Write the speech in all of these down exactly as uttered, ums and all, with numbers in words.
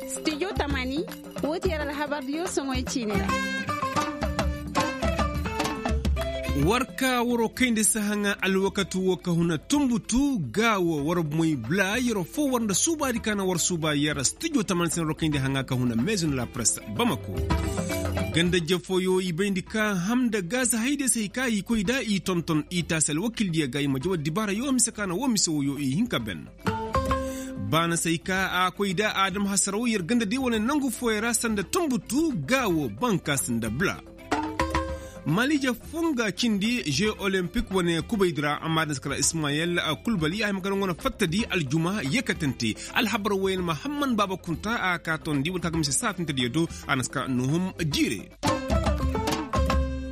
Stijo tamani. Woo ti yer alhabardiyo soŋoy ciini ra. War ka waroo kayndi si haŋa alwakati woo ka huna tumbutu ga woo war moy bla yeroo foo war nda suubaadi ka na war suuba yer stijo tamani si na waroo kayndi haŋa ka huna meezin la press bamako. Ganda jefooyo i bayndi ka ham nda gaz hayde si hay ka i koy da i tonton i taasi alwakildiyo ga i ma jaw addibaarayo mise ka na woo mise wooyo i hin ka ben. Baana si hay ka a koy da a dam hasaraw yer gandadi wane nangu fooyo ra sanda tumbutu ga woo bankaas nda bla. Malija funga cindi je olempik wane kubaydi ra amma din si kara ismayel kulbali a hima ka daŋ wane fattadi aljuma yeekatante. Alhabar wooyaŋ ma hamman baaba kunta a ka tondi wala ka ga mise saatantadiyo do a na si kara nuhum jiire.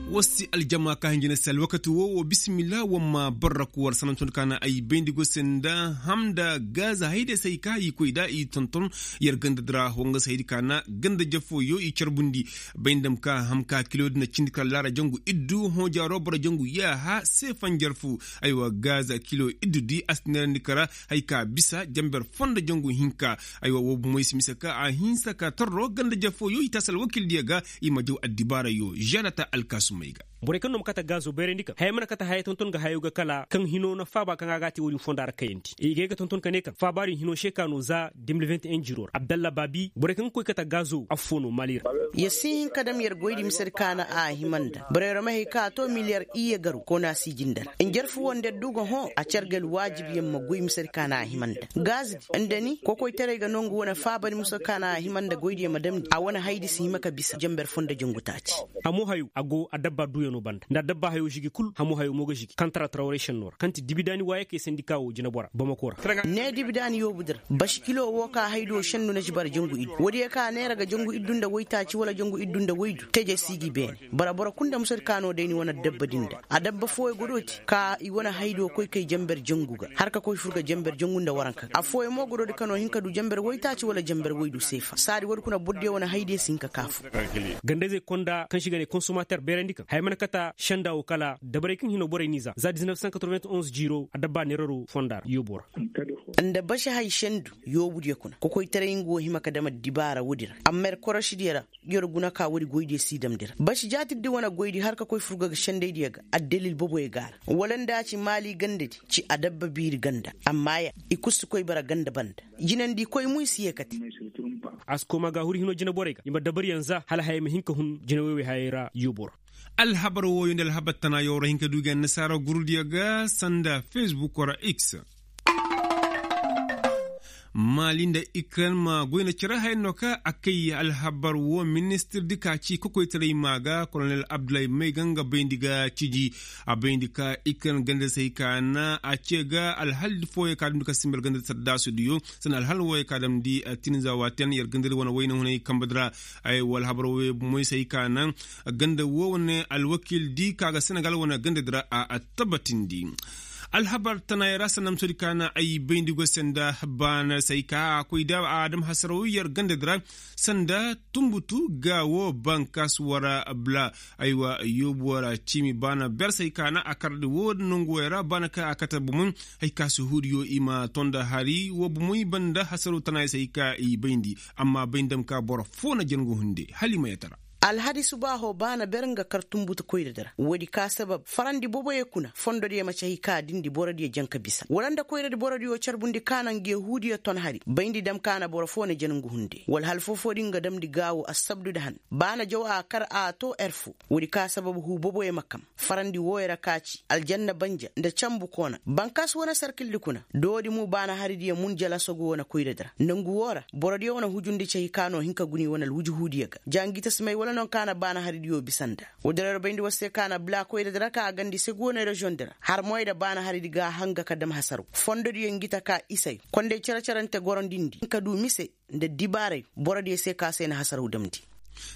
War si aljama ka hin jina se alwakati woo woo bisimilla war ma barraku war sanantondi ka na ay bayndi go se nda ham nda gaaza hayday se ay ka i koy da i tonton. Yer ganda di ra woo nga se haydi ka na ganda jafooyo i carbundi. Bay nda ma ka ham ka kiloodi na cindi kala laara jangu iddu hõ jaaro boro jangu yaaha se fanjar fu. Aywa gaaza kilo iddu di a si neerandi kara hay ka bisa jamber foo nda jangu hinka. Aywa woo bumoy si mise ka a hinsa ka torro ganda jafooyo i taasi alwakildiyo ga. I ma jaw addibaarayo žanata alkaasumey ga. Borey kaŋ no ma kate gaazo bayrandi kaŋ haya mana kate haya tonton ga hayo ga kala kaŋ hino na faaba kaŋ a ga a te wo-din fonda ra kayandi i ga ay ga tonton ka ne kaŋ faaba din hino se ka no za de mil vingt et un jiro ra abdalla baabi borey kaŋ ga koy kate gaazo affoo no maali ra. Yer si hin ka dam yer goydi mise di ka na a hima nda borey ra ma hay kaŋ a to miliyar iyye garu koona si jinde ra njarfu wo nda yer du ga hõ a car ga alwaajibiyaŋ ma goy mise di ka na a hima nda gaazi di nda ni kokoytaray ga no nga wane faaba di mise di ka na a hima nda goydiyaŋ ma damndi a wane haydi si hima ka bisa jamber foo nda jangu taaci. Hamo hayo a go adabba duuyano banda nda adabba hayo žigi kul hamo hayo mo ga žigi kantara trawray šenno ra kaŋ ti dibidaani waayakey sandika wo jinebora bamako ra. Ne dibidaani yoobu di ra baši kilo wo ka haydo šennu na žibara jangu iddu woodiyo ka neera ga jangu iddu nda waytaaci wala jangu iddu nda waydu teje si gi beene. Bara boro kul nda musadi ka no day ni wane adabba din da adabba fooyo godooti ka i wane haydo koy kay jamber jangu ga har ka koy fur ga jamber jangu nda waranka ga affooyo mo godoodi ka no hin ka du jamber waytaaci wala jamber waydu seefa saadi woodi kuna bordiyo wane haydiyo si hin ka kaafu. Gandayzey konda kaŋ se i ga ne konsomater beerandi kaŋ haya mana kate senda wo kala dabarey kaŋ hino borey n'i za za diz neuf cent quatre-vingt-onze jiiro adabba neeraro fonda ra yoobo ra. Nda basi hay sendu yoobudiyo kuna kokoytaray nga wo hima ka dam addibaara woodi ra amma yer korošidiyo ra. Yer guna ka woodi goydiyo si damndi ra basi jaatirdi wane goydi har ka koy furga ga sendaydiyo ga addalil boboyo ga a ra wala nda a ci maali gandadi ci adabba biiri ganda amma ya i kul si koy bara ganda banda jinandi koy mo i si yeekate. A si koma ga huri hino jineborey ga i ma dabaryaŋ za hala hayey ma hin ka hun jinewey wey hayey ra yoobo ra. Alhabar wooyo nda alhabar tanayo war hin ka du ga annasaara gurudiyo ga sanda fesbuk wara x. Maali nda ikren ma goy na cere hayanno ka a kay alhabar woo ministir di ka ci kokoytaray maa ga kolonel abdullahi may ga nga bayndi ga ciji. A bayndi ka ikren ganda say ka na a ce ga alhal fooyo ka damndi ka simbar ganda saddaasu diyo sanda alhal wooyo ka damndi. Tinza waten yer ganda di wane wayna hunay kamba di ra. Ay woo alhabar wooyo bumoy say ka na ganda woo wane alwakil di ka ga senegal wane ganda di ra a tabatindi. Alhabar tanaayey ra sanda musadi ka na ay bayndi go se nda baana say ka a koy da a dam hasaraw yer ganda di ra sanda tumbutu ga woo bankas wara bla. Aywa yoobu wara ciimi baana ber say ka na a kardi woo nangu wey ra baana ka a kate bumun. Hay ka si huudiyo i ma tonda hari woo bumun i banda hasaraw tanaayey say ka i bayndi. Amma bay nda ma ka boro foo na jangu hunde hala i ma yatara. Alhadi subaaho baana ber nga kar tumbutu koyradi ra woodi ka sabab farandi boboyo kuna fondodiyo ma ci hay ka dindi borodiyo jaŋ ka bisa wala nda koyradi borodiyo carbundi ka na nga yahuudiyo ton hari bayndi dam ka na boro foo na jangu hunde wala hal foo-foodi nga damndi gaawo assabdu da han baana jaw a kar a too er foo. Woodi ka sabab huu boboyo ma kam farandi wooyo ra ka ci aljanna banja nda cambu koona bankaas wane sarkildi kuna doodi mu baana haridiyo mun jalasogu wane koyradi ra nangu woo ra borodiyo wane hujundi ci hay ka no hin ka guni wane alwujuhuudiyo ga ja ngi ta si may wala non ka na baana haridiyo bisa nda. Woodi ra yer bayndi war se ka na bla koyradi ra ka a gandi segu wane reziyoŋ di ra har moy da baana haridi ga a hanga ka dam hasaraw fondodiyo ngi ta ka isay konday cere-cerante gorondindi hin ka du mise nda dibaaray borodiyo se ka se na hasaraw damndi.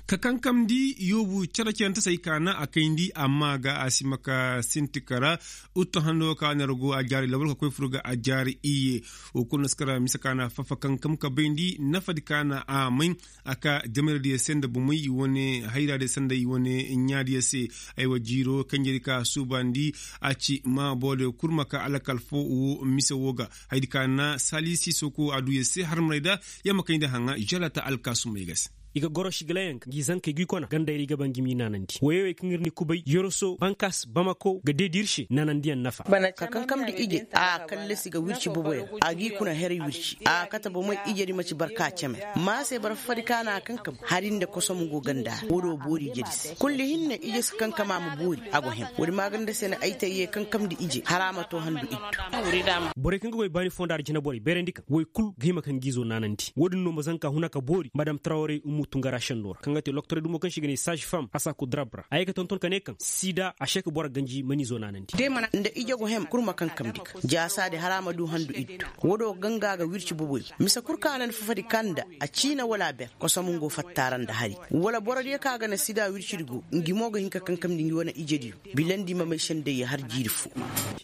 Ka kankamndi yoobu cere-cerentasey ka na a kayndi amma ga a si ma ka sinti kara. Uttu hando ka nergo a jaari labur ka koy fur ga a jaari iyye. Wo kulu na si kara mise ka na fafa kankam ka bayndi nafadi ka na a may. A ka jamayra diya se nda bumey i wane hayra diya se nda i wane ɲa diya se. Ay wa jiiro kanjey di ka suubandi a ci ma boodey kul ma ka alakal fo wo mise wo ga. Haydi ka na sali siisoko a du ya se harmaray da ya ma kayndi haŋa žalata alkaasumey ga se. I ga goro sigila yaŋ ga ngi zankey ga i kona gandey ra i ga ba ngi m'i naanandi woyey wey kaŋ ir ni kubay yoroso bankas bamako ga deedi ir se naanandiyaŋ nafa. Ka kankamndi ije a kallasi ga wirci boboyaŋ a g'i kuna heray wirci a kate bomey ijedi ma ci barka ceme. Maase barfadi ka na a kankam hari nda kosom go ganda ra woodi wo boori ijedi se kulli hinne ije si kankam a ma boori a go hem woodi maaganda se na ay tayye kankamndi ije hara ma to handu ittu. Borey kaŋ ga goy baani fonda ra jinaborey beerandi kaŋ woy kul ga hima ka ngi izo naanandi woodin no ma zanka huna ka boori madam trawrey ummu tungara sendo ra kaŋ ga te loktorey dumo kaŋ se i ga ne saaž fam a saaku drab ra a ye ga tonton ka ne kaŋ sida a se ka boro ganji mana izo naanandi. Nda ije go hem kul ma kaŋ kamndi ga jaasaadi hara ma du handu iddu. Wodo ganga ga wirci boboy mise kul ka na ni fafadi kaŋ nda a ciina wala a ber kosom ngo fatta ra nda hari wala borodiyo kaŋ a ga na sida wircidi go ngi mo ga hin ka kaŋ kamndi ngi wane ijediyo. Bilandi ma may sendey ya har jiiri fo.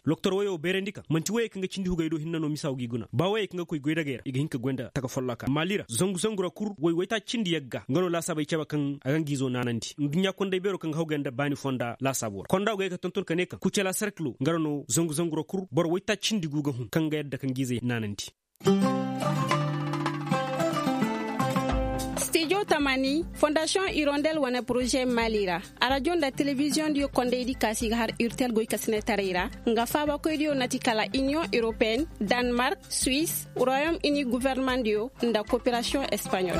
Loktor woyo beerandi kaŋ man'ti woyey kaŋ ga cindi hugey do hinne no misa wo g'i guna ba woyey kaŋ ga koy goydagey ra i ga hin ka goy nda taka folloka maali ra zangu zangu ra kul woy waytaaci cindi yagga nga no laasaabey cabe kaŋ a ga nga izo naanandi nduɲɲa konday beero kaŋ ga hawgay nda baani fonda laasaabo ra konda go ga ye ka tonton ka ne kaŋ kucela serkilo nga no zangu zangu ra kul boro waytaaci cindi gu ga hun kaŋ ga yadda ka nga izey naanandi. Stijo tamani fondasiyoŋ irondel wane poroze maali ra arajo nda telebiziyoŋ diyo kondaydi kaasi ga har irtel goykasinetaray ra nga faabakoydiyo na ti kala iniyoŋ europeen, danmark, suwis, royom ini governemandiyo nda koperasiyoŋ espaɲol.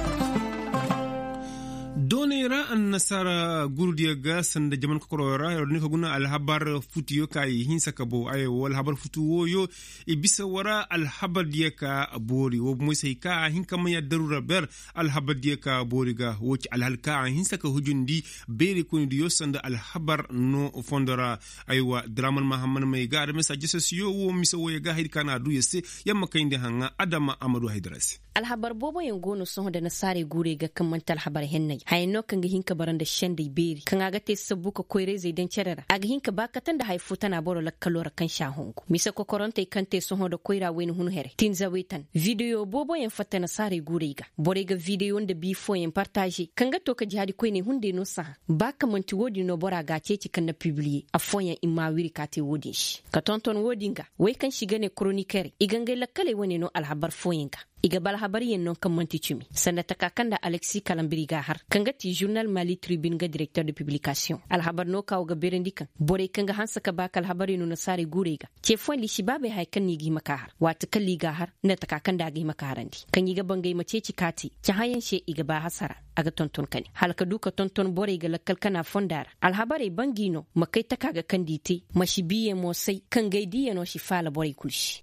Dooney ra annasaara gurudiyo ga sanda jaman kokoroyo ra yer wo din ka guna alhabar futuyo ka i hinsa ka bow ay wo alhabar futu wooyo. I bisa wara alhabardiyo ka boori wo bomoy se hay ka a hin ka may addaru ra ber. Alhabardiyo ka boori ga wo ci alhal ka a hinsa ka hujundi beeri koynidiyo sanda alhabar no fondo ra. Aywa draman mahamman may ga adama se a jasasiyo wo mise wooyo ga haydi ka na a du yer se. Yamma kayndi haŋa adama a ma du haydara se. Alhabar booboyaŋ go no sohõ nda nasaarey guurey ga kaŋ man'ti alhabar henney haya no kaŋ ga hin ka bara nda sendey beeri kaŋ a ga te sabbu ka koyrayzey daŋ cere ra a ga hin ka ba kate nda haya fo tana boro lakkalo ra kaŋ se a hongu mise kokorantey kaŋ te sohõ nda koyra wayna hun here tinzawey tan. Videyo booboyaŋ fatta nasaarey guurey ga borey ga videyo nda bii fooyaŋ partaaze kaŋ ga to ka jihaadi koyney hunday no sahã. Ba ka man'ti wo-din no bora ga a ceeci kaŋ na pibiliye affooyaŋ i m'a wiri ka te wo-din se ka tonton wo-din ga. Wey kaŋ se i ga ne koronikerey i ga ngey lakkaley wane no alhabar fooyaŋ ga. I ga ba alhabaryaŋ no kaŋ man'ti cimi sanda taka kaŋ nda aleksi kalambiri ga a har kaŋ ga ti žurnal mali tribin ga direkter de piblikasiyoŋ alhabar no ka wo ga beerandi kaŋ borey kaŋ ga hanse ka ba ka alhabarey no nasaarey guurey ga. Ce fooyaŋ liisibaabey haya kaŋ no i ga hima ka a har waati kaŋ ra i ga a har nda taka kaŋ nda a ga hima ka harandi kaŋ i ga ba ngey ma ceeci ka te cahãyaŋ se i ga ba hasara. A ga tonton kani hala ka du ka tonton borey ga lakkal kana fonda ra alhabarey ba ngi no ma kay taka ga kaŋ nda i te ma si biiyaŋ mo say kaŋ gay diiyano si faala borey kul se.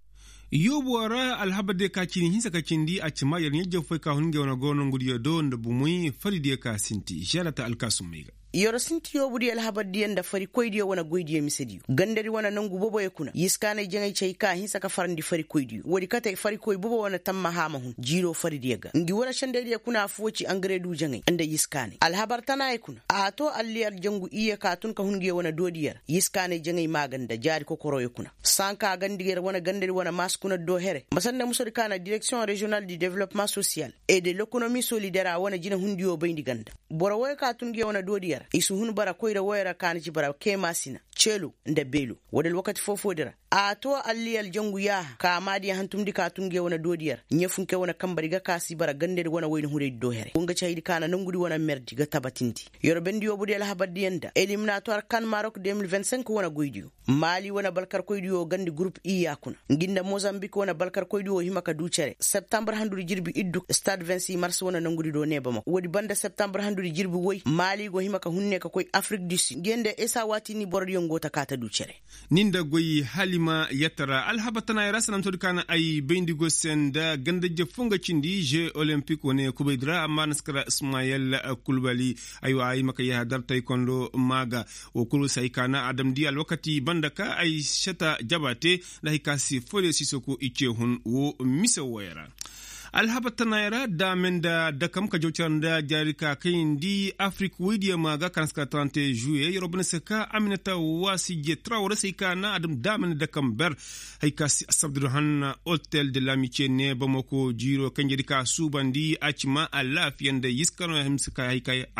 Yoobuwa ra alhabar diya ka cini hinsa ka cindi a ci ma yer ɲa-jawfey ka hun ngey wane goro nongudiyo do nda bumoy fari diya ka sinti žalata alkaasumey ga. Yer sinti yoobudiyo alhabar diya nda farikoydiyo wane goydiyo misediyo gandadi wane nongu boboyo kuna yiskaaney jaŋay cay ka hinsa ka farandi farikoydiyo woodi kate farikoy bobo wane tammaha ma hun jiiro faridiyo ga ngi wane sendaydiyo kuna affoo ci angare du jaŋay nda yiskaaney alhabar tanaayey kuna a to alliyar jangu iyye ka tun ka hun ngiyo wane doodiyo ra yiskaaney jaŋay maaganda jaari kokoroyo kuna. Sanka gandi yer wane gandadi wane maas kuna do here ma sanda musodi ka na direksiyoŋ reziyonal di developpeman sosiyal et de lekonomi solidera wane jinehundiyo bayndi ganda. Boro woyo ka tun ngiyo wane doodiyo ra i si hun bara koyra woyo ra ka na ci bara keemaasina ceelo nda beelo. Woodi alwakati foo-foodi ra a to alliyal jangu yaaha ka maadiya hantumndi ka tun ngiyo wane doodiyo ra ɲefunke wane kambadi ga ka si bara gandadi wane wayna hunaydi do here wo nga ci haydi ka na nongudi wane merdi ga tabatindi. Yer bendi yoobudiyo alhabardiyo nda eliminatuwar kan marok de mil vingt cinq wane goydiyo maali wane balkarkoydiyo gandi gurup i ya kuna ngi nda mozambik wane balkarkoydiyo hima ka du cere septambar handudi jirbi iddu stad vingt six mars wane nongudi do ne bamako woodi banda septambar handudi jirbi woy maali go hima ka hun ne ka koy afrik du sid ngi nda esa waati ni borodiyo go ta ka ta du cere. Ni nda goy halima yattara alhabar tanaayey ra sanamtodi ka na ay bayndi go se nda gandajje fo nga cindi je olempik wane kubaydi ra amma na si kara ismayel kulbali. Aywa ay ma ka yahadar taykondo maa ga wo kulu se hay ka na a damndi alwakati banda ka ay sata jaba te nda hay ka si foyre siisoko i ce hun wo mise wooyo ra. Alhabar tanaayoo ra daame nda dakam ka jaw cere nda jaari ka kayandi afirik woydiyo ma ga kaŋ si ka tarante žuwiye yeroo bane se ka aminata waasi je trawre se ay ka na a dam daame nda dakam ber. Hay ka si asabdu hanna hotel de lamice ne bamako jiiroo kanjedi ka suubandi a ci ma alaafiya nda yiska no a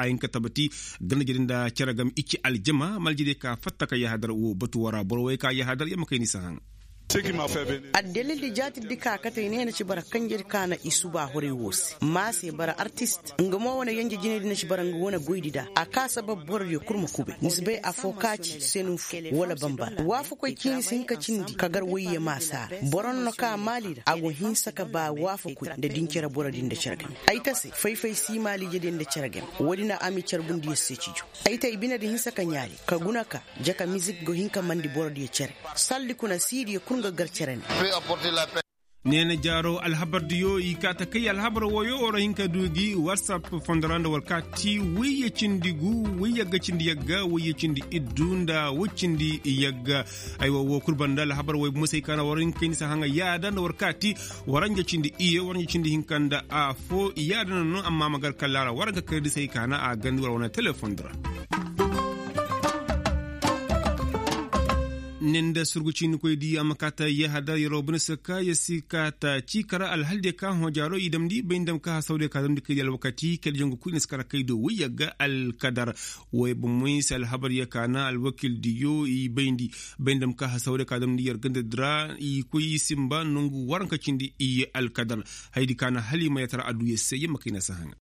hin ka tabati. Ganda jedi nda cere gam i ci aljama maljediyo ka fatta ka yahadar wo batu woo ra boro woy ka yahadar yamma kay ni si haŋ. Addalildi jaatirdi ka kate i ne na ci bara kanjedi ka na i suba horay woo se maa se bara artist nga mo wane yanja jinaydi na ci bara nga wane goydi da a ka sabab borodiyo kul ma kubay ni si bay afoo ka ci senu fo wala bambara waafakoy ciini si hin ka cindi ka gar wayye maa saara boro noo ka maali ra a go hinsa ka ba waafakoy nda din cere borodi nda cere game ay ta se fay-fay si maali ijediyo nda cere game woodi na a ma i carbundiyo se cijo ay ta i binedi hinsa ka ɲaali ka guna ka jaka mizik go hin ka mandi borodiyo cere saldi kuna siidiyo kul nga gar cere ne. Neena jaaroo alhabardiyo i kaa ta kay alhabar wooyo war hin ka duu gi watsap fondo ra nda war kaa ti wayye cindi gu wayye yagga cindi yagga wayye cindi iddu nda way cindi yagga. Aywa woo kul banda alhabar wooyo bumo se ay kaa na war hin ka kay ni si haŋa yaada nda war kaa ti waranja cindi iyye waranja cindi hinka nda afoo yaada na no amma ma gar kalla ra war hin ka kay di se ay kaa na a gandi war wane telefondi ra. Ne nda surgu ciinikoydiyo a ma kaa ta yahadar yeroo bane se ka yer si kaa ta ciikara alhaldiyo ka hõ jaaroo i damndi bay nda ma ka hasawdiyo ka damndi kaydiyo alwakati kaydiyo jangu kul i na si kara kaydiyo woy yagga alkadar. Wooyo bomoy se alhabaryo ka na alwakildiyo i bayndi bay nda ma ka hasawdiyo ka damndi yer gandadi ra i koy i sinba nongu waranka cindi i alkadar. Hayadi ka na hala i ma yatara adduya se yer ma kay na si haŋa.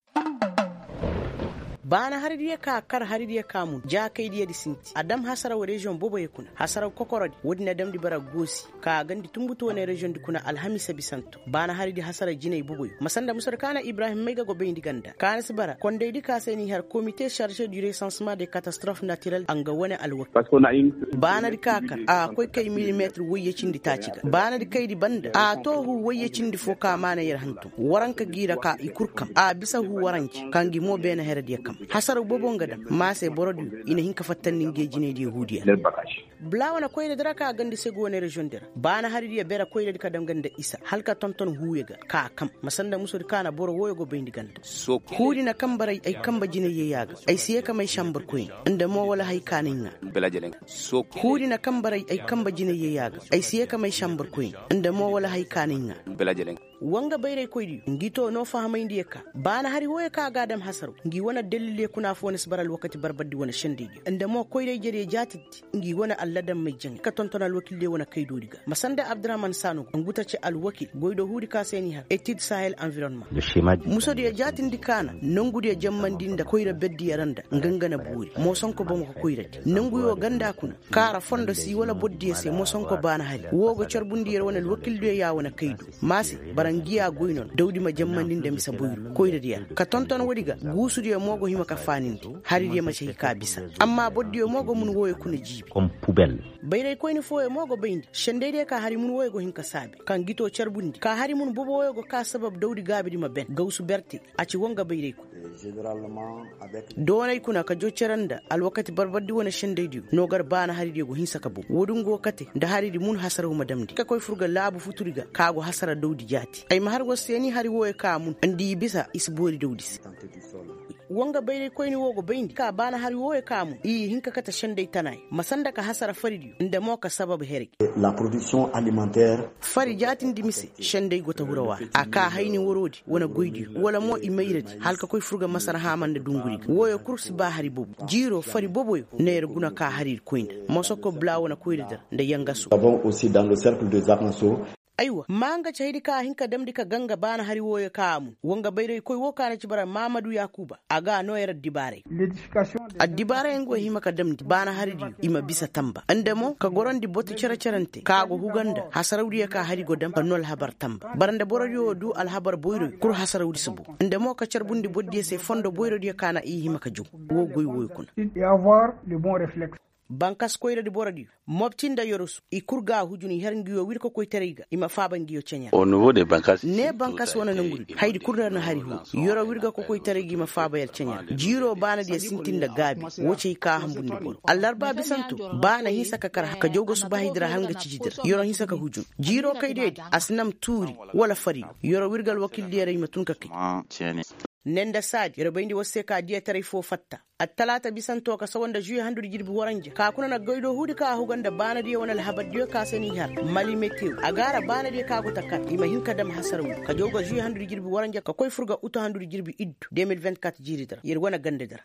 Baana haridiyo ka kar haridiyo ka mun jaakaydiyadi sinti a dam hasaraw reziyoŋ boboyo kuna hasaraw kokorodi woodi na damndi bara goosi ka gandi tunbutu wane reziyoŋdi kuna alhamiisa bisanto baana haridi hasaraw jinay boboyo ma sanda musodi ka na ibrahim mayga go bayndi ganda ka na si bara kondaydi ka se n'i har komite sarze du resansement de katastrof natirel a nga wane alwakil baanadi ka kar a koy kay milimetir woyye cindi taaci ga baanadi kaydi banda a too huu woyye cindi foo ka maana yer hantum waranka g'i ra ka i kul kam a bisa huu waranci ka ngi mo beene herediyo kam hasaraw boobo nga daŋ ma se borodiyo i na hin ka fattandi ngey jinaydiyo huudiyo ra bula wane koyradi ra ka gandi segu wane reziyoŋdi ra baana haridiyo bere koyradi ka daŋ ga nda isa hala ka tonton huuyo ga ka kam ma sanda musodi ka na boro wooyo go bayndi ganda huudi na kambaray ay kamba jinayyo yaaga ay si yee ka may sambar koyne nda mo wala hay ka na ay ŋaa huudi na kambaray ay kamba jinayyo yaaga ay si yee ka may sambar koyne nda mo wala hay ka na ay ŋaa wa nga bayraykoydiyo ngi to no fahamayndiyo ka baana hari wooyo ka a ga a dam hasaraw ngi wane addalilyo kuna afoo na si bara alwakati barbardi wane sendaydiyo nda mo koyra-ijediyo jaatirdi ngi wane alladammey jaŋay ka tonton alwakildiyo wane kaydoodi ga ma sanda abdurahaman saano ngu ta ci alwakil goydoo huudi ka se n'i har etid sahel environnement musodiyo jaatirdi ka na nongudiyo jammandi nda koyra berdiyo ra nda nga nga na boori moosonko bamako koyradi nonguyo ganda kuna kaara fondo si wala bordiyo se moosonko baana hari woo go carbundi yer wane alwakildiyo ya wane kaydu ma se bara ngi ya goy no na dawdi ma jammandi nda mise boyru koyradiyo ra ka tonton woodi ga guusudiyo mo go hima ka faanindi haridiyo ma si hay ka bisa amma bordiyo mo go mun wooyo kuna jiibi bayraykoyni fooyo mo go bayndi sendaydiyo ka hari mun wooyo go hin ka saabe kaŋ gi too carbundi ka hari mun bobo wooyo go kaa sabab dawdi gaabidi ma ben gawsu berte a ci woo nga bayraykoy doonay kuna ka joo cere nda alwakati barbardi wane sendaydiyo no gar baana haridiyo go hinsa ka bow woodin go kate nda haridi mun hasaraw ma damndi ka koy fur ga laabu futuri ga ka go hasara dawdi jaati ay ma har war se ni hari wooyo ka a mun nda i bisa i si boori dawdi se woo nga bayraykoyni woo go bayndi ka baana hari wooyo ka a mun i hin ka kate senday tanaay ma sanda ka hasara faridiyo nda mo ka sabab heray fari jaatindi mise senday go ta hurawa ra a kaa hayni waroodi wane goydiyo wala mo i mayradi hala ka koy fur ga masar haama nda dunguri ga wooyo kul si ba hari bobo jiiroo fari boboyo na yer guna kaa haridi koyna mosoko bula wane koyradi ra nda yangaso aywa maa nga ci haydi ka a hin ka damndi ka ganga baana hari wooyo ka a mun woo nga bayraykoy woo ka na ci bara maamadu yaakuuba a ga a noo yer addibaaray addibaarayaŋ go hima ka damndi baana haridiyo i ma bisa tamba nda mo ka gorandi boti cere-cerante ka a go huga nda hasarawdiyo ka hari go dam ka noo alhabar tamba bara nda borodiyo du alhabar boyroyo kul hasarawdi si bow nda mo ka carbundi bordiyo se fondo boyrodiyo ka na i hima ka jaw woo goy wooyo kuna Bankas koyradi borodiyo, mobti nda yorosu i kul ga a hujun i har nguyo wirkokoytaray ga i ma faaba nguyo ceɲa ra. Ne bankas wane nongudi haydi kul ra na hari huru. Yoro wirga kokoytaray ga i ma faaba yar ceɲa ra jiiro baanadiyo sintin nda gaabi. Woo ci hay ka a hambundi boro allarba bisanto. Baana hinsa ka kar ka jaw ga subahaydi ra har nga cijidi ra yoro hinsa ka hujun. Jiiro kaydiyo di a si nam tuuri wala fariyo. Yoro wirga alwakildiyo ra i ma tun ka kay. Ne nda saadi yoro bayndi war se ka diyataray foo fatta. Attalaata bisanto ka sawa nda žuwe handudi jirbi waranja ka kuna na goydoo huudi ka a huga nda baanadiyo wane alhabardiyo ka se n'i har mali metew a ga a ra baanadiyo ka go ta kar i ma hin ka dam hasaraw. Ka jaw ga žuwe handudi jirbi waranja ka koy fur ga utu handudi jirbi iddu de mil vingt-quatre jiiridi ra yer wane gandadi ra.